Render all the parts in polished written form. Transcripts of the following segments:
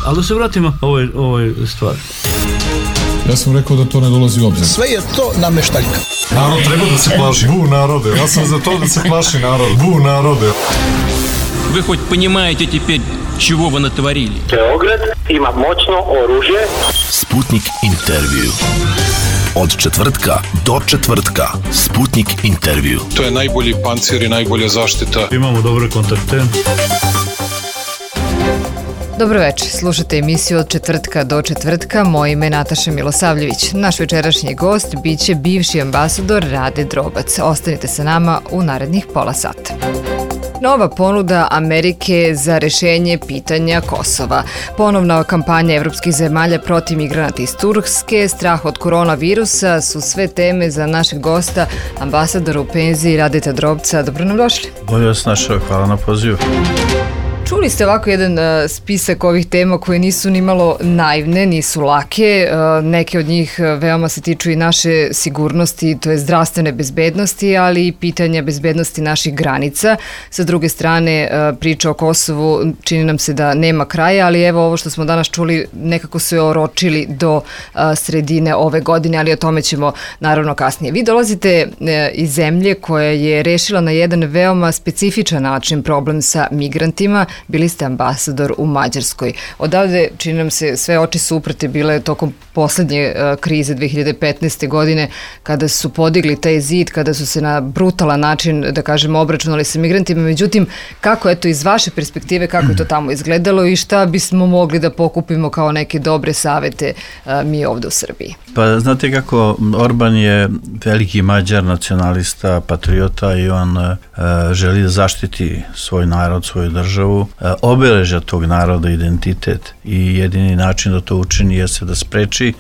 Ali da se vratimo ovoj stvari. Ja sam rekao da to ne dolazi u obzir. Sve je to nameštaljka. Narod treba da se plaši. Bu narode. Ja sam za to da se plaši narod. Bu narode. Вы хоть понимаете теперь, чего вы натворили? Beograd ima moćno oružje. Sputnik intervju. Od četvrtka do četvrtka. Sputnik intervju. To je najbolji pancir i najbolja zaštita. Imamo dobre kontakte. Dobro večer, slušate emisiju od četvrtka do četvrtka, moje ime je Nataša Milosavljević. Naš večerašnji gost biće bivši ambasador Rade Drobac. Ostanite sa nama u narednih pola sata. Nova ponuda Amerike za rešenje pitanja Kosova. Ponovna kampanja evropskih zemalja protiv migranata iz Turske, strah od koronavirusa su sve teme za našeg gosta, ambasadora u penziji Radeta Drobca. Dobro nam došli. Bolje vas našao, hvala na pozivu. Čuli ste ovako jedan spisak ovih tema koje nisu ni malo naivne, nisu lake. Neke od njih veoma se tiču i naše sigurnosti, to je zdravstvene bezbednosti, ali i pitanja bezbednosti naših granica. Sa druge strane, priča o Kosovu čini nam se da nema kraja, ali evo ovo što smo danas čuli nekako su je oročili do sredine ove godine, ali o tome ćemo naravno kasnije. Vi dolazite iz zemlje koja je rešila na jedan veoma specifičan način problem sa migrantima. Bili ste ambasador u Mađarskoj. Odavde, čini nam se, sve oči su uprte bile tokom poslednje krize 2015. godine, kada su podigli taj zid, kada su se na brutalan način, da kažemo, obračunali sa migrantima. Međutim, kako, eto, iz vaše perspektive, kako je to tamo izgledalo i šta bismo mogli da pokupimo kao neke dobre savete mi ovde u Srbiji? Pa znate kako, Orban je veliki Mađar, nacionalista, patriota i on želi da zaštiti svoj narod, svoju državu, obeležja tog naroda, identitet i jedini način da to učini jeste da spreči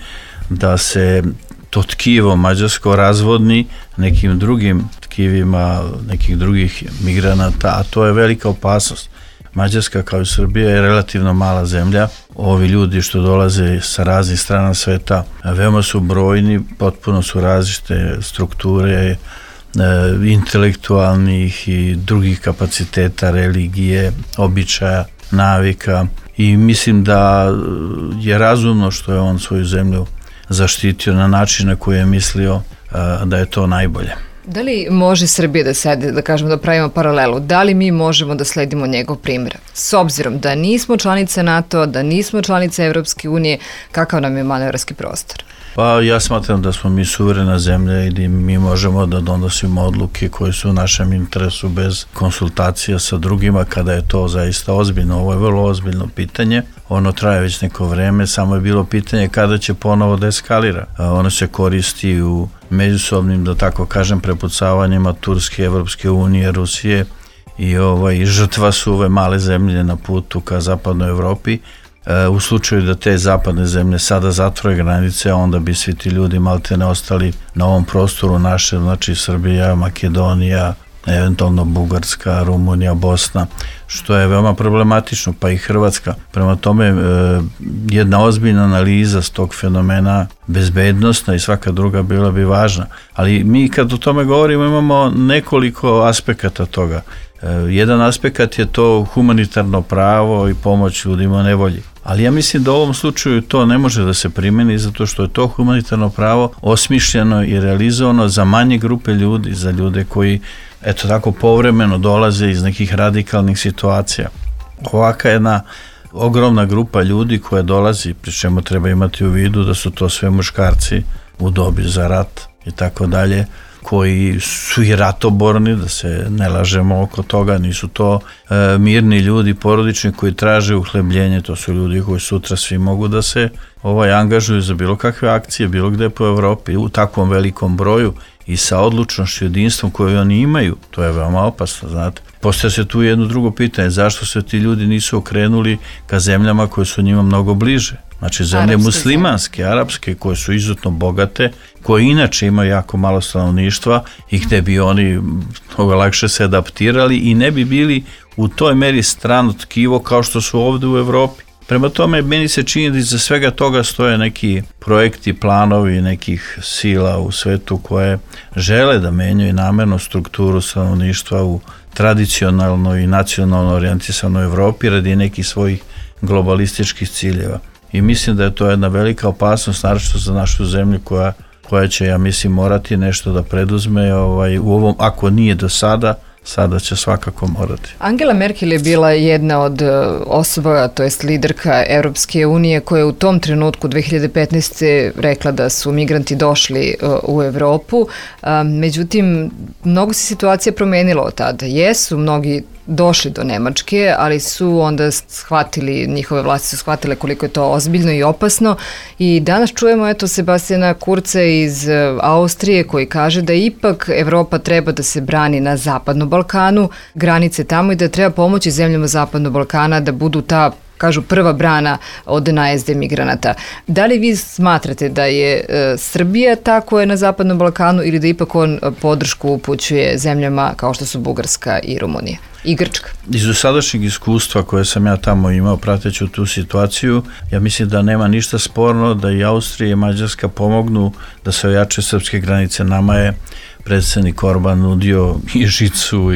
da se to tkivo mađarsko razvodni nekim drugim tkivima, nekih drugih migranata, a to je velika opasnost. Mađarska kao i Srbija je relativno mala zemlja. Ovi ljudi što dolaze sa raznih strana sveta veoma su brojni, potpuno su različite strukture, intelektualnih i drugih kapaciteta, religije, običaja, navika i mislim da je razumno što je on svoju zemlju zaštitio na način na koji je mislio da je to najbolje. Da li može Srbija da sede, da kažemo, da pravimo paralelu? Da li mi možemo da sledimo njegov primjer? S obzirom da nismo članice NATO, da nismo članice Evropske unije, kakav nam je manevarski prostor? Pa ja smatram da smo mi suverena zemlja i da mi možemo da donosimo odluke koje su u našem interesu bez konsultacija sa drugima kada je to zaista ozbiljno. Ovo je vrlo ozbiljno pitanje. Ono traje već neko vreme, samo je bilo pitanje kada će ponovo da eskalira. Ono se koristi u međusobnim, da tako kažem, prepucavanjima Turske, Evropske unije, Rusije i žrtva su ove male zemlje na putu ka zapadnoj Evropi. U slučaju da te zapadne zemlje sada zatvore granice, onda bi svi ti ljudi maltene ostali na ovom prostoru naše, znači Srbija, Makedonija, eventualno Bugarska, Rumunija, Bosna, što je veoma problematično, pa i Hrvatska. Prema tome, jedna ozbiljna analiza s tog fenomena, bezbednostna i svaka druga, bila bi važna. Ali mi kad o tome govorimo imamo nekoliko aspekata toga. Jedan aspekt je to humanitarno pravo i pomoć ljudima u nevolji. Ali ja mislim da u ovom slučaju to ne može da se primeni zato što je to humanitarno pravo osmišljeno i realizovano za manje grupe ljudi, za ljude koji, eto tako, povremeno dolaze iz nekih radikalnih situacija. Ovaka jedna ogromna grupa ljudi koja dolazi, pri čemu treba imati u vidu da su to sve muškarci u dobi za rat i tako dalje, koji su i ratoborni, da se ne lažemo oko toga, nisu to mirni ljudi, porodični koji traže uhlebljenje, to su ljudi koji sutra svi mogu da se angažuju za bilo kakve akcije, bilo gde po Evropi, u takvom velikom broju i sa odlučnošću, jedinstvom koju oni imaju, to je veoma opasno, znate. Postoje se tu jedno drugo pitanje, zašto se ti ljudi nisu okrenuli ka zemljama koje su njima mnogo bliže? Znači zemlje muslimanske, arapske, koje su izuzetno bogate, koje inače imaju jako malo stanovništva i gde bi oni mnogo lakše se adaptirali i ne bi bili u toj meri strano tkivo kao što su ovde u Evropi. Prema tome, meni se čini da iza svega toga stoje neki projekti, planovi nekih sila u svetu koje žele da menjaju namerno strukturu stanovništva u tradicionalno i nacionalno orijentisanoj Evropi radi nekih svojih globalističkih ciljeva. I mislim da je to jedna velika opasnost, naročito za našu zemlju koja će, ja mislim, morati nešto da preduzme u ovom, ako nije do sada će svakako morati. Angela Merkel je bila jedna od osoba, to jest liderka Europske unije, koja je u tom trenutku 2015. rekla da su migranti došli u Evropu. Međutim, mnogo se situacija promenila od tada. Jesu mnogi došli do Nemačke, ali su onda njihove vlasti su shvatile koliko je to ozbiljno i opasno i danas čujemo Sebastiana Kurza iz Austrije koji kaže da ipak Evropa treba da se brani na Zapadnom Balkanu, granice tamo i da treba pomoći zemljama Zapadnog Balkana da budu ta, kažu, prva brana od najezde migranata. Da li vi smatrate da je Srbija ta koja je na Zapadnom Balkanu ili da ipak on podršku upućuje zemljama kao što su Bugarska i Rumunija i Grčka? Iz dosadašnjeg iskustva koje sam ja tamo imao prateći tu situaciju, ja mislim da nema ništa sporno da i Austrija i Mađarska pomognu da se ojače srpske granice. Nama je predsjednik Orban nudio i žicu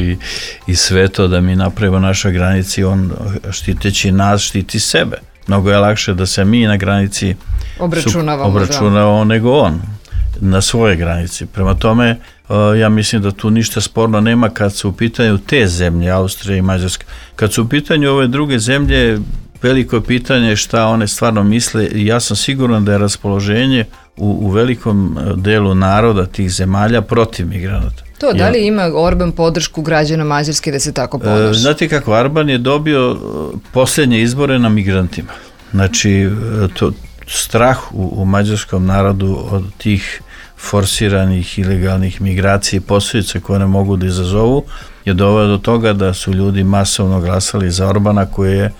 i sve to da mi napravimo našoj granici, on štiteći nas štiti sebe. Mnogo je lakše da se mi na granici obračunavamo nego on na svoje granici. Prema tome, ja mislim da tu ništa sporno nema kad su u pitanju te zemlje, Austrija i Mađarska. Kad su u pitanju ove druge zemlje, veliko je pitanje šta one stvarno misle i ja sam siguran da je raspoloženje u velikom delu naroda tih zemalja protiv migranata. To, da li ima Orban podršku građana Mađarske da se tako ponaša? Znate kako, Orban je dobio posljednje izbore na migrantima. Znači, strah u mađarskom narodu od tih forsiranih ilegalnih migracija i posljedice koje ne mogu da izazovu je doveo do toga da su ljudi masovno glasali za Orbana koji je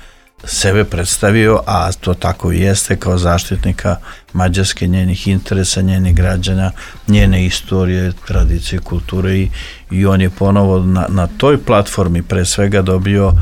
sebe predstavio, a to tako i jeste, kao zaštitnika Mađarske, njenih interesa, njenih građana, njene istorije, tradicije, kulture i on je ponovo na toj platformi pre svega dobio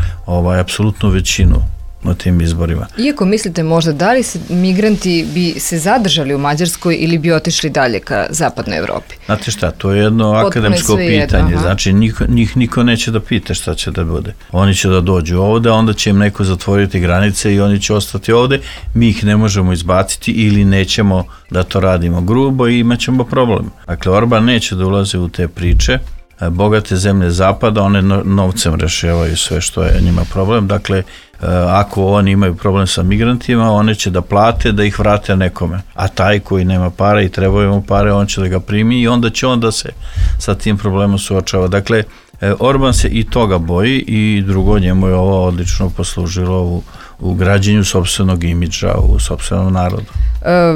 apsolutnu većinu na tim izborima. Iako mislite možda da li migranti bi se zadržali u Mađarskoj ili bi otišli dalje ka zapadnoj Evropi? Znate šta, to je jedno akademsko pitanje, znači njih niko neće da pita šta će da bude. Oni će da dođu ovde, onda će im neko zatvoriti granice i oni će ostati ovde, mi ih ne možemo izbaciti ili nećemo da to radimo grubo i imat ćemo problem. Dakle, Orban neće da ulaze u te priče, bogate zemlje zapada, one novcem rešavaju sve što je njima problem, dakle, ako oni imaju problem sa migrantima, one će da plate da ih vrate nekome, a taj koji nema para i trebaju mu pare, on će da ga primi i onda će on da se sa tim problemom suočava. Dakle, Orban se i toga boji i drugo, njemu je ovo odlično poslužilo u građenju sopstvenog imidža u sopstvenom narodu.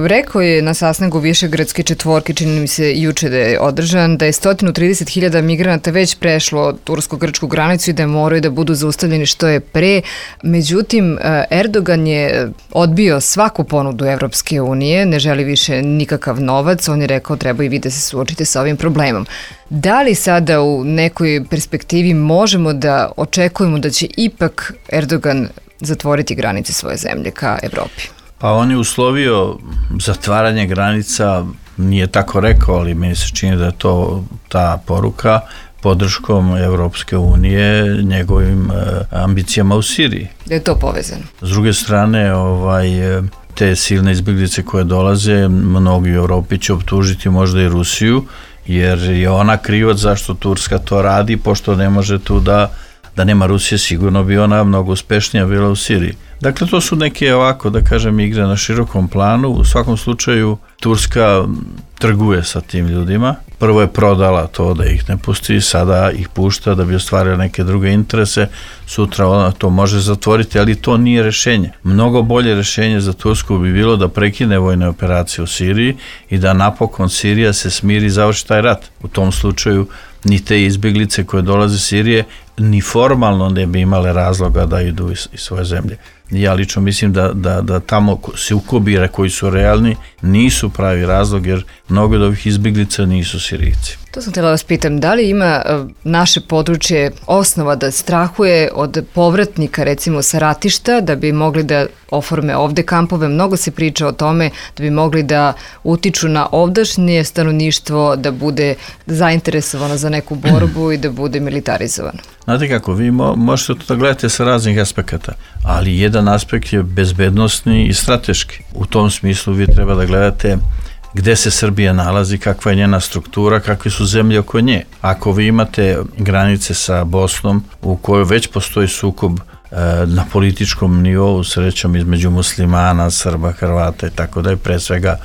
Rekao je na sastanku Višegradske četvorke, čini mi se juče da je održan, da je 130.000 migranata već prešlo tursko-grčku granicu i da moraju da budu zaustavljeni što je pre. Međutim, Erdogan je odbio svaku ponudu Evropske unije, ne želi više nikakav novac, on je rekao treba i vi da se suočite sa ovim problemom. Da li sada u nekoj perspektivi možemo da očekujemo da će ipak Erdogan zatvoriti granice svoje zemlje ka Evropi? Pa on je uslovio zatvaranje granica, nije tako rekao, ali meni se čini da je to ta poruka podrškom Evropske unije njegovim ambicijama u Siriji. Da je to povezano? S druge strane, te silne izbjeglice koje dolaze, mnogi u Evropi će optužiti možda i Rusiju, jer je ona krivac zašto Turska to radi, pošto ne može tu da nema Rusije, sigurno bi ona mnogo uspešnija bila u Siriji. Dakle, to su neke ovako, da kažem, igre na širokom planu. U svakom slučaju, Turska trguje sa tim ljudima. Prvo je prodala to da ih ne pusti, sada ih pušta da bi ostvarila neke druge interese. Sutra ona to može zatvoriti, ali to nije rešenje. Mnogo bolje rešenje za Tursku bi bilo da prekine vojne operacije u Siriji i da napokon Sirija se smiri i završi taj rat. U tom slučaju ni te izbjeglice koje dolaze iz Sirije ni formalno ne bi imale razloga da idu iz svoje zemlje. Ja lično mislim da tamo sukobi koji su realni nisu pravi razlog, jer mnogo od ovih izbjeglica nisu Sirijci. To sam htjela vas pitam, da li ima naše područje osnova da strahuje od povratnika recimo sa ratišta da bi mogli da oforme ovde kampove? Mnogo se priča o tome da bi mogli da utiču na ovdašnje stanovništvo, da bude zainteresovano za neku borbu i da bude militarizovano. Znate kako, vi možete to da gledate sa raznih aspekata, ali jedan aspekt je bezbednosni i strateški. U tom smislu vi treba da gledate gde se Srbija nalazi, kakva je njena struktura, kakve su zemlje oko nje. Ako vi imate granice sa Bosnom u kojoj već postoji sukob na političkom nivou, srećom između muslimana, Srba, Hrvata i tako da je pre svega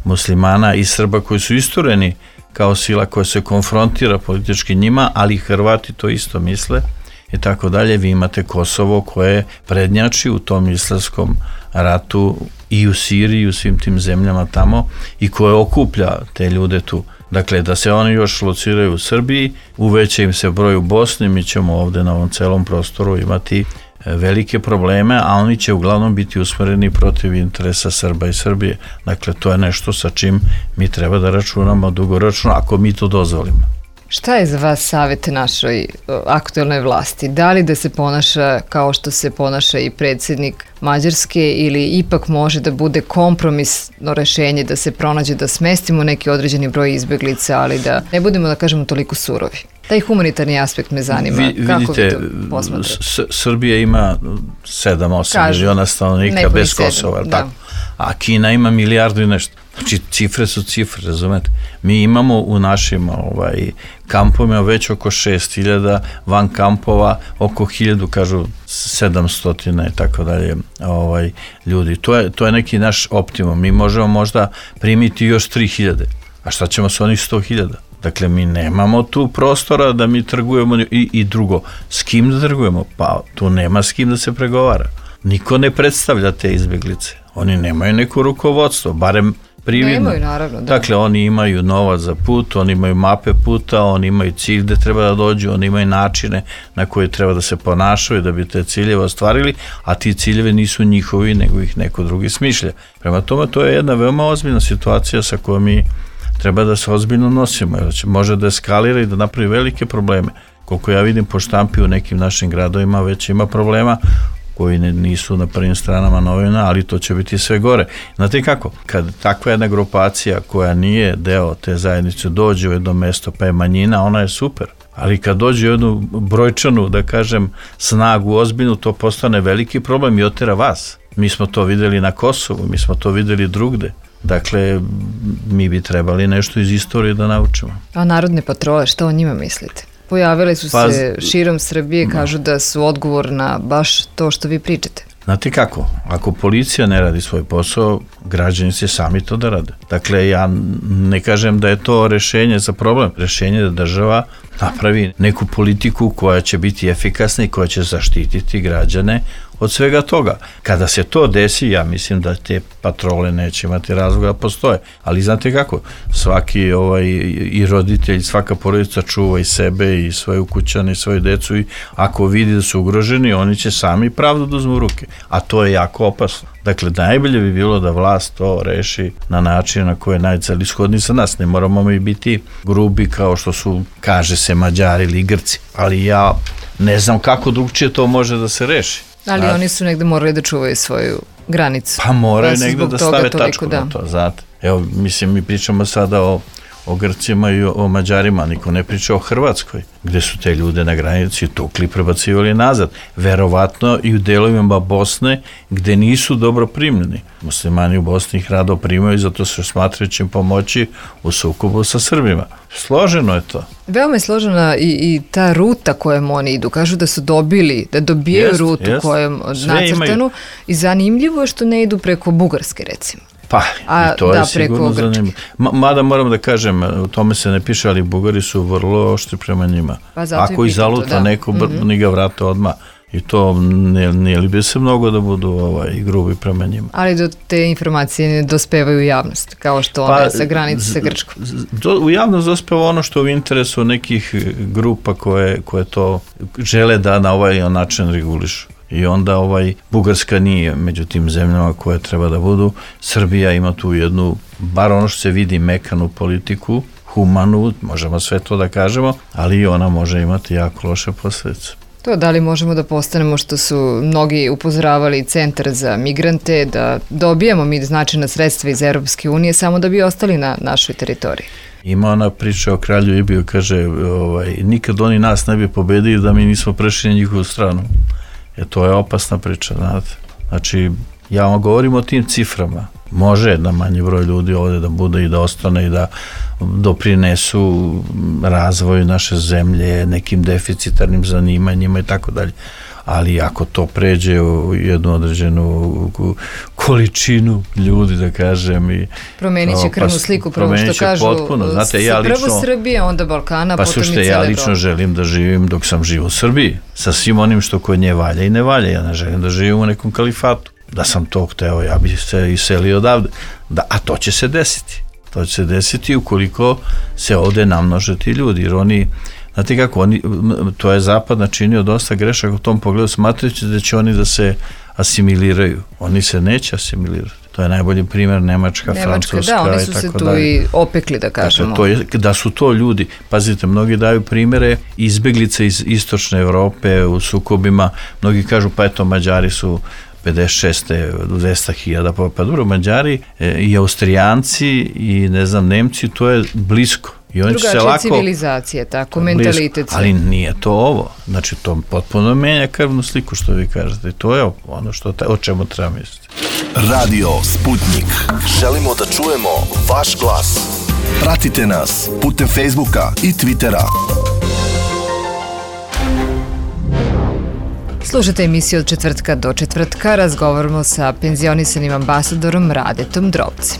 muslimana i Srba koji su istureni kao sila koja se konfrontira politički njima, ali Hrvati to isto misle i tako dalje. Vi imate Kosovo koje prednjači u tom islamskom ratu i u Siriji i u svim tim zemljama tamo i koje okuplja te ljude tu. Dakle, da se oni još lociraju u Srbiji, uveća im se broj u Bosni, mi ćemo ovde na ovom celom prostoru imati velike probleme, a oni će uglavnom biti usmereni protiv interesa Srba i Srbije. Dakle, to je nešto sa čim mi treba da računamo dugoročno, ako mi to dozvolimo. Šta je za vas savjet našoj aktuelnoj vlasti? Da li da se ponaša kao što se ponaša i predsjednik Mađarske ili ipak može da bude kompromisno rešenje da se pronađe da smestimo neki određeni broj izbeglica, ali da ne budemo, da kažemo, toliko surovi? Taj humanitarni aspekt me zanima. Kako vi to posmatrate? Srbija ima 7-8 miliona stanovnika bez Kosova, tako? A Kina ima milijardu i nešto. Znači, cifre su cifre, razumete? Mi imamo u našim kampovima već oko 6.000, van kampova oko 1.000, kažu 700 i tako dalje ljudi. To je neki naš optimum. Mi možemo možda primiti još 3.000. A šta ćemo sa onih 100.000? Dakle, mi nemamo tu prostora da mi trgujemo i drugo. S kim da trgujemo? Pa tu nema s kim da se pregovara. Niko ne predstavlja te izbjeglice. Oni nemaju neko rukovodstvo, barem prividno. Nemaju, naravno. Da. Dakle, oni imaju novac za put, oni imaju mape puta, oni imaju cilj gde treba da dođu, oni imaju načine na koje treba da se ponašaju da bi te ciljeve ostvarili, a ti ciljeve nisu njihovi, nego ih neko drugi smišlja. Prema tome, to je jedna veoma ozbiljna situacija sa kojom mi treba da se ozbiljno nosimo, jer može da eskalira i da napravi velike probleme. Koliko ja vidim po štampi u nekim našim gradovima već ima problema koji nisu na prvim stranama novina, ali to će biti sve gore. Znate kako? Kad takva jedna grupacija koja nije deo te zajednice dođe u jedno mesto pa je manjina, ona je super. Ali kad dođe u jednu brojčanu, da kažem, snagu ozbiljnu, to postane veliki problem i otera vas. Mi smo to videli na Kosovu, mi smo to videli drugde. Dakle, mi bi trebali nešto iz istorije da naučimo. A narodne patrole, što o njima mislite? Pojavile su se širom Srbije, kažu da su odgovor na baš to što vi pričate. Znate kako, ako policija ne radi svoj posao, građani će sami to da rade. Dakle, ja ne kažem da je to rešenje za problem. Rešenje je da država napravi neku politiku koja će biti efikasna i koja će zaštititi građane od svega toga. Kada se to desi, ja mislim da te patrole neće imati razloga da postoje. Ali znate kako, svaki i roditelj, svaka porodica čuva i sebe i svoje ukućane i svoju decu i ako vidi da su ugroženi, oni će sami pravdu da uzmu u ruke. A to je jako opasno. Dakle, najbolje bi bilo da vlast to reši na način na koji je najcelishodniji za nas. Ne moramo mi biti grubi kao što su, kaže se, Mađari ili Grci. Ali ja ne znam kako drugčije to može da se reši. Ali oni su negde morali da čuvaju svoju granicu. Pa moraju negde da stave tačku na to, znate. Evo, mislim, mi pričamo sada o Grcima i o Mađarima, niko ne priča o Hrvatskoj, gde su te ljude na granici tukli i prebacivali nazad. Verovatno i u delovima Bosne gde nisu dobro primljeni. Muslimani u Bosni ih rado primaju, zato se smatraju će im pomoći u sukobu sa Srbima. Složeno je to. Veoma je složena i ta ruta kojom oni idu. Kažu da su dobijaju rutu kojom nacrtanu i zanimljivo je što ne idu preko Bugarske, recimo. Pa, i to je sigurno zanimljivo. Mada moram da kažem, u tome se ne piše, ali Bugari su vrlo oštri prema njima. Ako ih zaluta neko, ni ga vrate odmah. I to ne libe se mnogo da budu grubi prema njima. Ali do te informacije ne dospevaju u javnost, kao što one sa granice sa Grčkom. U javnost dospeva ono što je u interesu nekih grupa koje to žele da na ovaj način regulišu. I onda Bugarska nije među tim zemljama koje treba da budu. Srbija ima tu jednu, bar ono što se vidi, mekanu politiku, humanu, možemo sve to da kažemo, ali ona može imati jako loše posljedice. To da li možemo da postanemo, što su mnogi upozoravali, centar za migrante, da dobijemo mi značajna sredstva iz Europske unije samo da bi ostali na našoj teritoriji? Ima ona priča o kralju Ibiju, kaže, nikad oni nas ne bi pobedili da mi nismo prešli na njihovu stranu. To je opasna priča, znate. Znači, ja vam govorim o tim ciframa. Može da manji broj ljudi ovde da bude i da ostane i da doprinesu razvoju naše zemlje, nekim deficitarnim zanimanjima i tako dalje. Ali ako to pređe u jednu određenu količinu ljudi, da kažem, i promenit će krvnu sliku, prvo što kažu, potpuno. Znate, prvo Srbije, onda Balkana, pa potom i slušajte, cijela ja lično želim da živim dok sam živ u Srbiji, sa svim onim što kod nje valja i ne valja. Ja ne želim da živim u nekom kalifatu. Da sam to hteo, ja bih se iselio odavde. A to će se desiti. To će se desiti ukoliko se ovde namnože ti ljudi, jer oni, znate kako, to je zapad načinio dosta grešaka u tom pogledu, smatrajući da će oni da se asimiliraju. Oni se neće asimilirati. To je najbolji primjer Nemačka, Francuska, da, oni su se tu i opekli, da kažemo. Da su to ljudi, pazite, mnogi daju primjere izbeglice iz istočne Evrope u sukobima, mnogi kažu pa eto Mađari su 56. 200.000, pa dobro, Mađari i Austrijanci i ne znam, Nemci, to je blisko. Drugačija civilizacija, tako, mentalitet. Ali nije to ovo. Znači, to potpuno menja krvnu sliku, što vi kažete. To je ono o čemu treba misliti. Radio Sputnik. Želimo da čujemo vaš glas. Pratite nas putem Facebooka i Twittera. Slušajte emisiju od četvrtka do četvrtka. Razgovaramo sa penzionisanim ambasadorom Radetom Drobcem.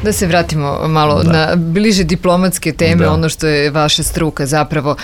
Da se vratimo malo na bliže diplomatske teme, ono što je vaša struka zapravo.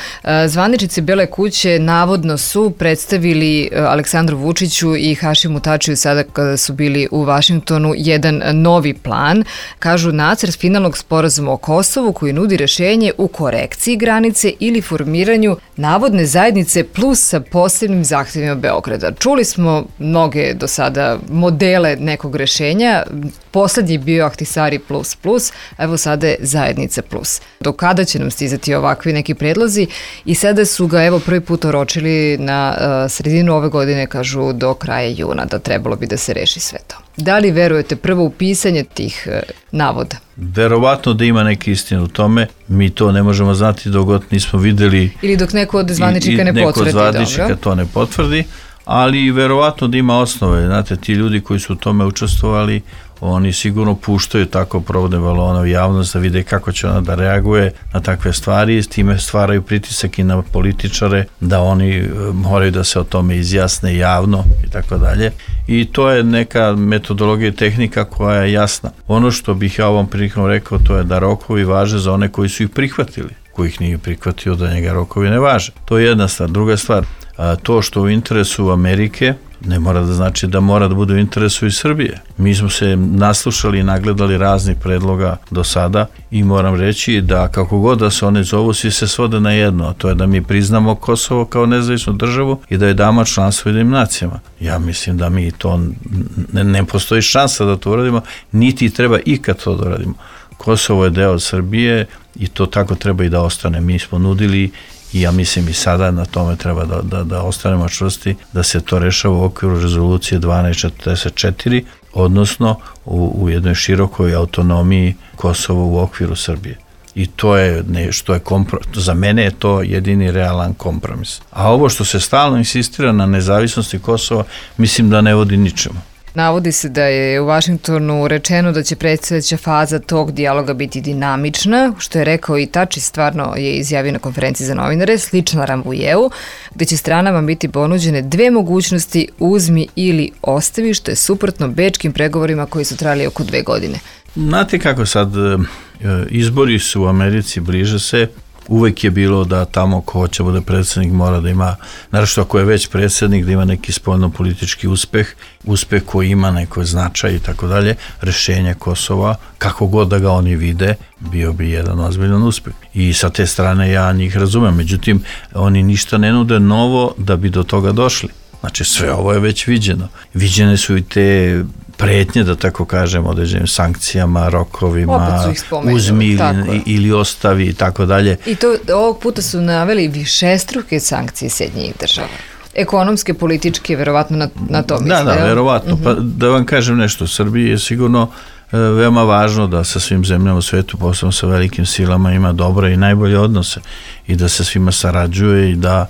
Zvaničnici Bele kuće navodno su predstavili Aleksandru Vučiću i Hašimu Tačiju sada kada su bili u Vašingtonu jedan novi plan. Kažu nacrt finalnog sporazuma o Kosovu koji nudi rešenje u korekciji granice ili formiranju navodne zajednice plus sa posebnim zahtevima Beograda. Čuli smo mnoge do sada modele nekog rešenja. Poslednji je bio Ahtisari plus, evo sada je zajednica plus. Do kada će nam stizati ovakvi neki predlozi? I sada su ga evo prvi put oročili na sredinu ove godine, kažu do kraja juna, da trebalo bi da se reši sve to. Da li verujete prvo u pisanje tih navoda? Verovatno da ima neke istine u tome, mi to ne možemo znati dok nismo videli. Ili dok neko od zvaničnika ne potvrdi. Neko od zvaničnika to ne potvrdi, ali verovatno da ima osnove. Znate, ti ljudi koji su u tome učestvovali, oni sigurno puštaju tako provodne balone u javnost da vide kako će ona da reaguje na takve stvari i s time stvaraju pritisak i na političare da oni moraju da se o tome izjasne javno i tako dalje. I to je neka metodologija i tehnika koja je jasna. Ono što bih ja ovom prilikom rekao, to je da rokovi važe za one koji su ih prihvatili. Ko ih nije prihvatio, da njega rokovi ne važe. To je jedna stvar. Druga stvar, to što u interesu Amerike ne mora da znači da mora da bude u interesu i Srbije. Mi smo se naslušali i nagledali raznih predloga do sada i moram reći da kako god da se one zovu, svi se svode na jedno, a to je da mi priznamo Kosovo kao nezavisnu državu i da je damo članstvo Ujedinjenim nacijama. Ja mislim da mi to ne postoji šansa da to uradimo, niti treba ikad to da uradimo. Kosovo je deo Srbije i to tako treba i da ostane. Mi smo nudili i ja mislim i sada na tome treba da ostanemo čvrsti, da se to rešava u okviru rezolucije 1244, odnosno u jednoj širokoj autonomiji Kosova u okviru Srbije. I to je nešto, za mene je to jedini realan kompromis. A ovo što se stalno insistira na nezavisnosti Kosova, mislim da ne vodi ničemu. Navodi se da je u Vašingtonu rečeno da će predstojeća faza tog dijaloga biti dinamična, što je rekao i Tači, stvarno je izjavio na konferenciji za novinare, slična Rambujeu, gde će stranama biti ponuđene dve mogućnosti, uzmi ili ostavi, što je suprotno bečkim pregovorima koji su trajali oko 2 godine. Znate kako sad, izbori su u Americi, bliže se, uvek je bilo da tamo ko hoće bude predsjednik mora da ima, naravno ako je već predsjednik, da ima neki spoljno-politički uspeh koji ima neko značaj i tako dalje, rešenje Kosova, kako god da ga oni vide, bio bi jedan ozbiljan uspeh. I sa te strane ja njih razumem, međutim, oni ništa ne nude novo da bi do toga došli. Znači sve ovo je već viđeno. Viđene su i te pretnje, da tako kažem, određenim sankcijama, rokovima, uzmi ili ostavi i tako dalje. I to ovog puta su naveli višestruke sankcije Sjedinjenih država. Ekonomske, političke, verovatno na to misle. Da, verovatno. Pa da vam kažem nešto, Srbiji je sigurno veoma važno da sa svim zemljama u svetu, posebno sa velikim silama, ima dobre i najbolje odnose i da se svima sarađuje i da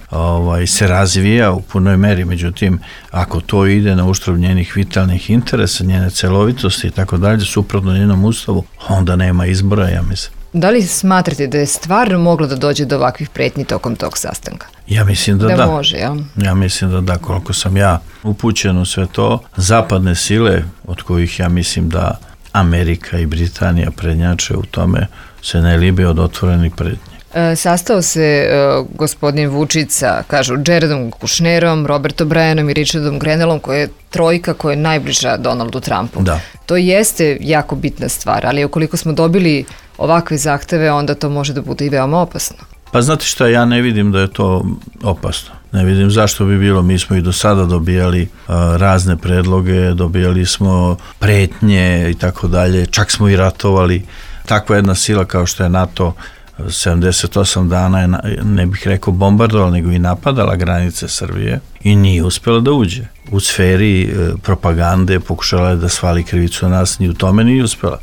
se razvija u punoj meri. Međutim, ako to ide na uštrb njenih vitalnih interesa, njene celovitosti i tako dalje, suprotno njenom ustavu, onda nema izbora, ja mislim. Da li smatrate da je stvarno moglo da dođe do ovakvih pretnji tokom tog sastanka? Ja mislim da da. Može, jel? Ja mislim da da, koliko sam ja upućen u sve to, zapadne sile, od kojih ja mislim da Amerika i Britanija prednjače u tome, se ne libe od otvorenih pretnji. Sastao se gospodin Vučić sa, kažu, Jaredom Kušnerom, Robertom Bryanom i Richardom Grenellom, koja je trojka koja je najbliža Donaldu Trumpu. Da. To jeste jako bitna stvar, ali ukoliko smo dobili ovakve zahteve, onda to može da bude i veoma opasno. Pa znate šta, ja ne vidim da je to opasno. Ne vidim zašto bi bilo. Mi smo i do sada dobijali razne predloge, dobijali smo pretnje i tako dalje, čak smo i ratovali. Takva jedna sila kao što je NATO 78 dana je, ne bih rekao bombardovala, nego i napadala granice Srbije i nije uspjela da uđe. U sferi propagande pokušala je da svali krivicu na nas, ni u tome nije uspjela.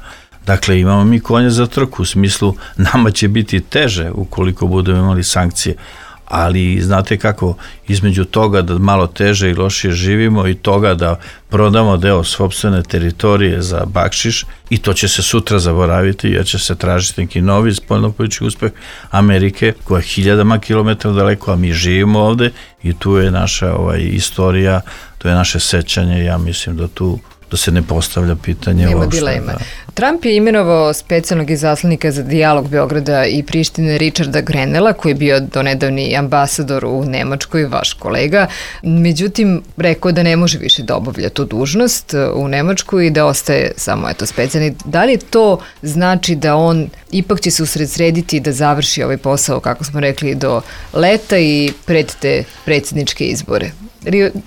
Dakle, imamo mi konje za trku, u smislu nama će biti teže ukoliko budemo imali sankcije, ali znate kako, između toga da malo teže i lošije živimo i toga da prodamo deo sopstvene teritorije za bakšiš, i to će se sutra zaboraviti jer će se tražiti neki novi spoljnopolitički uspeh Amerike koja je hiljadama kilometara daleko, a mi živimo ovde i tu je naša istorija, to je naše sećanje. Ja mislim da tu da se ne postavlja pitanje nema uopšte. dilema. Trump je imenovao specijalnog izaslanika za dijalog Beograda i Prištine Richarda Grenella, koji je bio donedavni ambasador u Nemačkoj, vaš kolega. Međutim, rekao da ne može više da obavlja tu dužnost u Nemačkoj i da ostaje samo specijalni. Da li to znači da on ipak će se usredsrediti da završi ovaj posao, kako smo rekli, do leta i pred te predsjedničke izbore?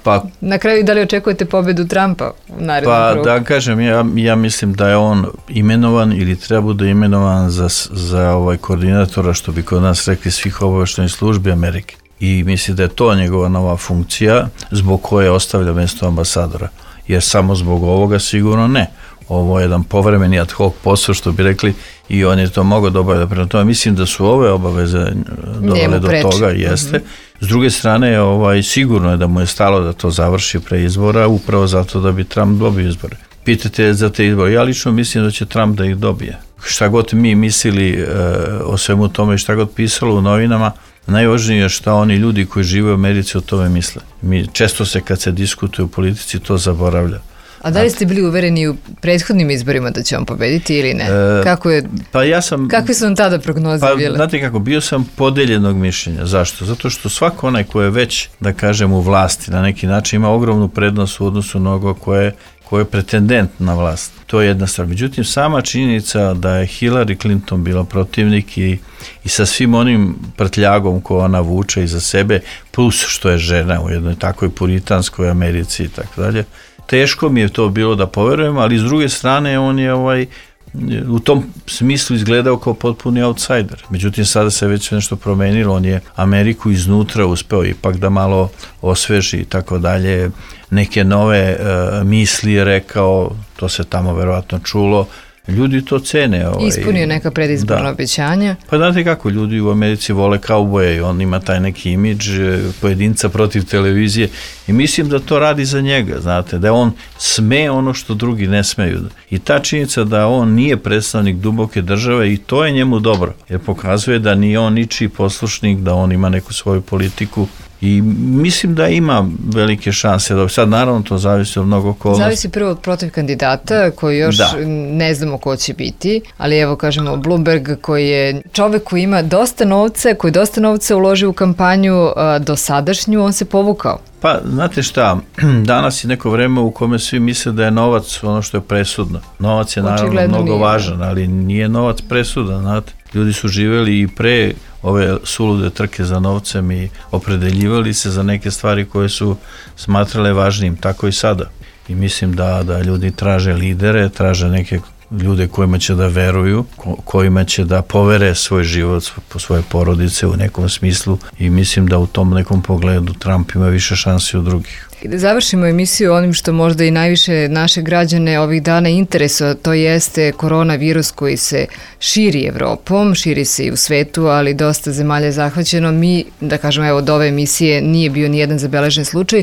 Pa, na kraju, da li očekujete pobedu Trumpa u narednom krugu? Da kažem, ja mislim da je on imenovan ili treba bude imenovan za koordinatora, što bi kod nas rekli, svih obaveštajnih službi Amerike. I mislim da je to njegova nova funkcija zbog koje ostavlja mjesto ambasadora. Jer samo zbog ovoga sigurno ne. Ovo je jedan povremeni ad hoc posao, što bi rekli, i on je to mogao da obavlja. Prema tome, mislim da su ove obaveze dovele do toga, jeste. S druge strane, sigurno je da mu je stalo da to završi pre izbora, upravo zato da bi Trump dobio izbore. Pitate za te izbore. Ja lično mislim da će Trump da ih dobije. Šta god mi mislili o svemu tome i šta god pisalo u novinama, najvažnije je šta oni ljudi koji žive u Americi o tome misle. Često se kad se diskutuje u politici to zaboravlja. A da li ste bili uvereni u prethodnim izborima da će on pobediti ili ne? Kakve su vam tada prognoze bile? Znate kako, bio sam podeljenog mišljenja. Zašto? Zato što svako onaj ko je već, da kažem, u vlasti na neki način ima ogromnu prednost u odnosu na onoga ko je pretendent na vlast. To je jedna stvar. Međutim, sama činjenica da je Hillary Clinton bila protivnik i sa svim onim prtljagom koju ona vuče iza sebe, plus što je žena u jednoj takvoj puritanskoj Americi i tako dalje, teško mi je to bilo da poverujem, ali s druge strane on je u tom smislu izgledao kao potpuni outsider. Međutim, sada se već nešto promenilo, on je Ameriku iznutra uspeo ipak da malo osveži i tako dalje, neke nove misli je rekao, to se tamo verovatno čulo, ljudi to cene. Ispunio neka predizborna obećanja. Pa znate kako, ljudi u Americi vole kauboje i on ima taj neki imidž pojedinca protiv televizije i mislim da to radi za njega, znate, da on sme ono što drugi ne smeju. I ta činjenica da on nije predstavnik duboke države i to je njemu dobro, jer pokazuje da nije on ničiji poslušnik, da on ima neku svoju politiku. I mislim da ima velike šanse. Sad naravno to zavisi od mnogo okolnosti. Zavisi prvo od protiv kandidata koji još ne znamo ko će biti, ali evo kažemo Bloomberg koji je čovek koji ima dosta novca, koji dosta novca uloži u kampanju dosadašnju, on se povukao. Pa, znate šta, danas je neko vreme u kome svi misle da je novac ono što je presudno. Novac je naravno mnogo važan, ali nije novac presudan, znate. Ljudi su živjeli i pre ove sulude trke za novcem i opredeljivali se za neke stvari koje su smatrale važnim, tako i sada. I mislim da ljudi traže lidere, traže neke ljude kojima će da veruju, kojima će da povere svoj život, svoje porodice u nekom smislu i mislim da u tom nekom pogledu Trump ima više šansi od drugih. I da završimo emisiju onim što možda i najviše naše građane ovih dana interesuje, to jeste koronavirus koji se širi Evropom, širi se i u svetu, ali dosta zemalja je zahvaćeno. Mi, da kažem, evo od ove emisije nije bio nijedan zabeležen slučaj.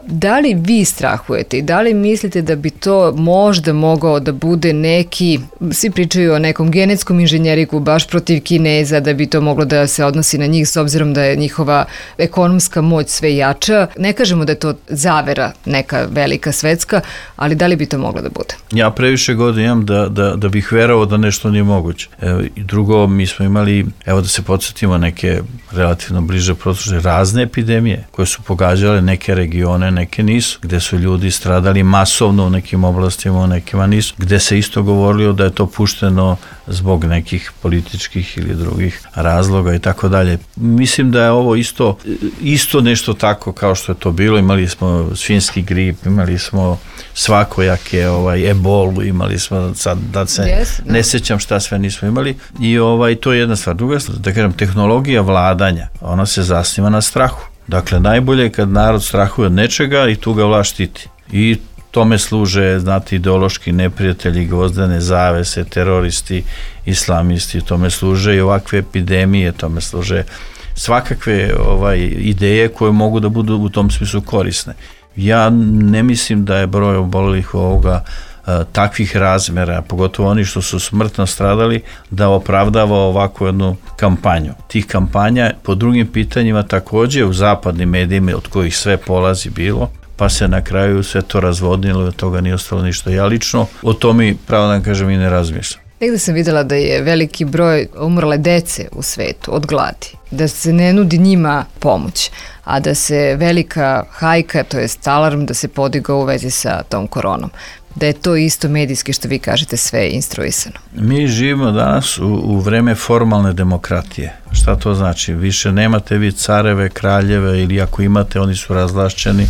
Da li vi strahujete i da li mislite da bi to možda mogao da bude neki, svi pričaju o nekom genetskom inženjeriku baš protiv Kineza, da bi to moglo da se odnosi na njih s obzirom da je njihova ekonomska moć sve jača. Ne kažemo da je to zavera neka velika svetska, ali da li bi to moglo da bude? Ja previše godina imam da bih verovao da nešto nije moguće. I drugo, mi smo imali, evo da se podsjetimo, neke relativno bliže prošle razne epidemije koje su pogađale neke regione, neke nisu, gde su ljudi stradali masovno u nekim oblastima, u nekima nisu, gde se isto govorilo da je to pušteno zbog nekih političkih ili drugih razloga i tako dalje. Mislim da je ovo isto nešto tako kao što je to bilo. Imali smo svinjski grip, imali smo svakojake ebolu, imali smo sad da se ne sećam šta sve nismo imali i to je jedna stvar. Druga stvar, da kažem, tehnologija vladanja, ona se zasniva na strahu. Dakle, najbolje je kad narod strahuje od nečega i tu ga vlast štiti. I tome služe, znate, ideološki neprijatelji, gvozdene zavese, teroristi, islamisti, tome služe i ovakve epidemije, tome služe svakakve ideje koje mogu da budu u tom smislu korisne. Ja ne mislim da je broj obolelih ovoga takvih razmera, pogotovo oni što su smrtno stradali, da opravdava ovakvu jednu kampanju. Tih kampanja po drugim pitanjima takođe u zapadnim medijima, od kojih sve polazi bilo, pa se na kraju sve to razvodnilo i od toga nije ostalo ništa. Ja lično o tome, pravo da vam kažem, i ne razmišljam. Negde sam videla da je veliki broj umrle dece u svetu od gladi, da se ne nudi njima pomoć, a da se velika hajka, to jest alarm, da se podigao u vezi sa tom koronom. Da je to isto medijski, što vi kažete, sve instruisano. Mi živimo danas u vreme formalne demokratije. Šta to znači? Više nemate vi careve, kraljeve ili ako imate, oni su razvlašćeni,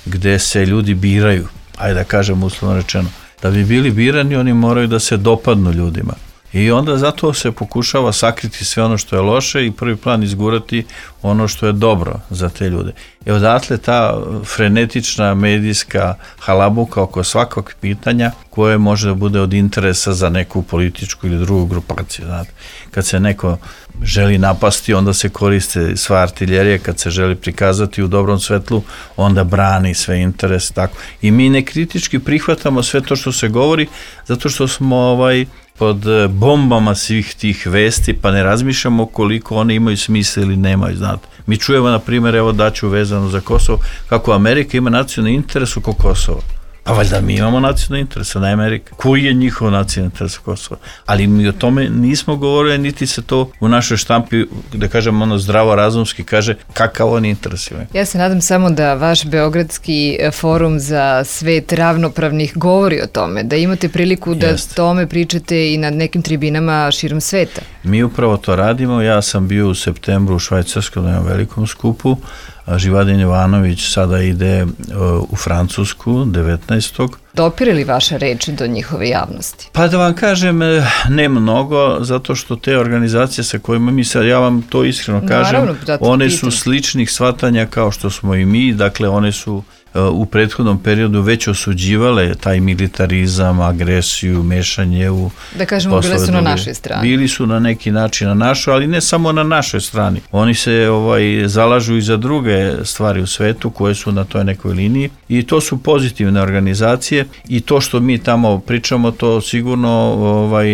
gde se ljudi biraju. Ajde da kažem uslovno rečeno. Da bi bili birani, oni moraju da se dopadnu ljudima. I onda zato se pokušava sakriti sve ono što je loše i prvi plan izgurati ono što je dobro za te ljude. I odatle ta frenetična medijska halabuka oko svakog pitanja koje može da bude od interesa za neku političku ili drugu grupaciju. Znate. Kad se neko želi napasti, onda se koriste sva artiljerija, kad se želi prikazati u dobrom svetlu, onda brani sve interese. Tako. I mi nekritički prihvatamo sve to što se govori, zato što smo pod bombama svih tih vesti, pa ne razmišljamo koliko one imaju smisla ili nemaju, znate. Mi čujemo, na primjer, evo daću vezano za Kosovo, kako Amerika ima nacionalni interes oko Kosova. Pa valjda mi imamo nacionalni interes, a ne Amerika. Koji je njihov nacionalni interes oko Kosova? Ali mi o tome nismo govorili, niti se to u našoj štampi, da kažem, zdravo razumski kaže kakav oni interes imaju. Ja se nadam samo da vaš Beogradski forum za svet ravnopravnih govori o tome, da imate priliku da tome pričate i na nekim tribinama širom sveta. Mi upravo to radimo. Ja sam bio u septembru u Švajcarskom na jednom velikom skupu. Živadin Jovanović sada ide u Francusku 19. Dopire li vaša reč do njihove javnosti? Pa da vam kažem, ne mnogo, zato što te organizacije sa kojima mi sad, ja vam to iskreno kažem, naravno, one su sličnih shvatanja kao što smo i mi, dakle one su u prethodnom periodu već osuđivale taj militarizam, agresiju, mešanje u da kažemo, bile su na našoj strani. Bili su na neki način na našoj, ali ne samo na našoj strani. Oni se zalažu i za druge stvari u svetu koje su na toj nekoj liniji i to su pozitivne organizacije i to što mi tamo pričamo, to sigurno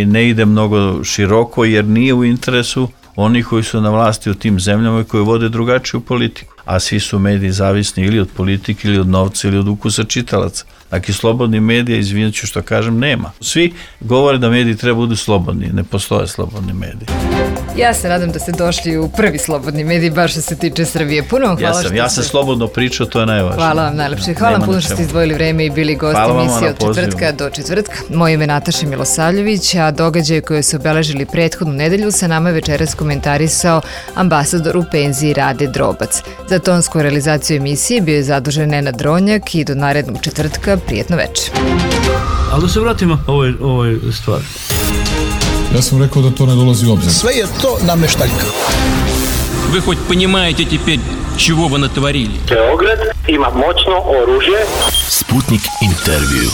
ne ide mnogo široko jer nije u interesu oni koji su na vlasti u tim zemljama i koji vode drugačiju politiku. A svi su mediji zavisni ili od politike, ili od novca, ili od ukusa čitalaca. Dakle, slobodni medija, izvinut ću što kažem, nema. Svi govore da mediji treba budu slobodni, ne postoje slobodni mediji. Ja se nadam da ste došli u prvi slobodni medij, baš što se tiče Srbije. Puno vam hvala. Ja sam slobodno pričao, to je najvažnije. Hvala vam najlepše. Hvala vam puno što ste izdvojili vreme i bili gosti emisije od četvrtka do četvrtka. Moje ime je Nataša Milosavljević, a događaje koje su obeležili prethodnu nedelju sa nama večeras komentarisao ambasador u penziji Rade Drobac. Za tonsku realizaciju emisije bio je zadužen Nenad Dronjak i do narednog četvrtka prijetno večer. Ali da se vratimo ovoj stvari. Ja sam rekao da to ne dolazi u obzir. Sve je to nameštaljka. Вы хоть понимаете теперь, чего вы натворили? Beograd ima moćno oružje. Sputnik intervju.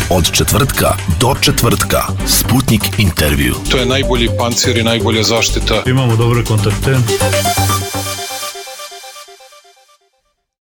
Od četvrtka do četvrtka. Sputnik intervju. To je najbolji pancir i najbolja zaštita. Imamo dobre kontakte.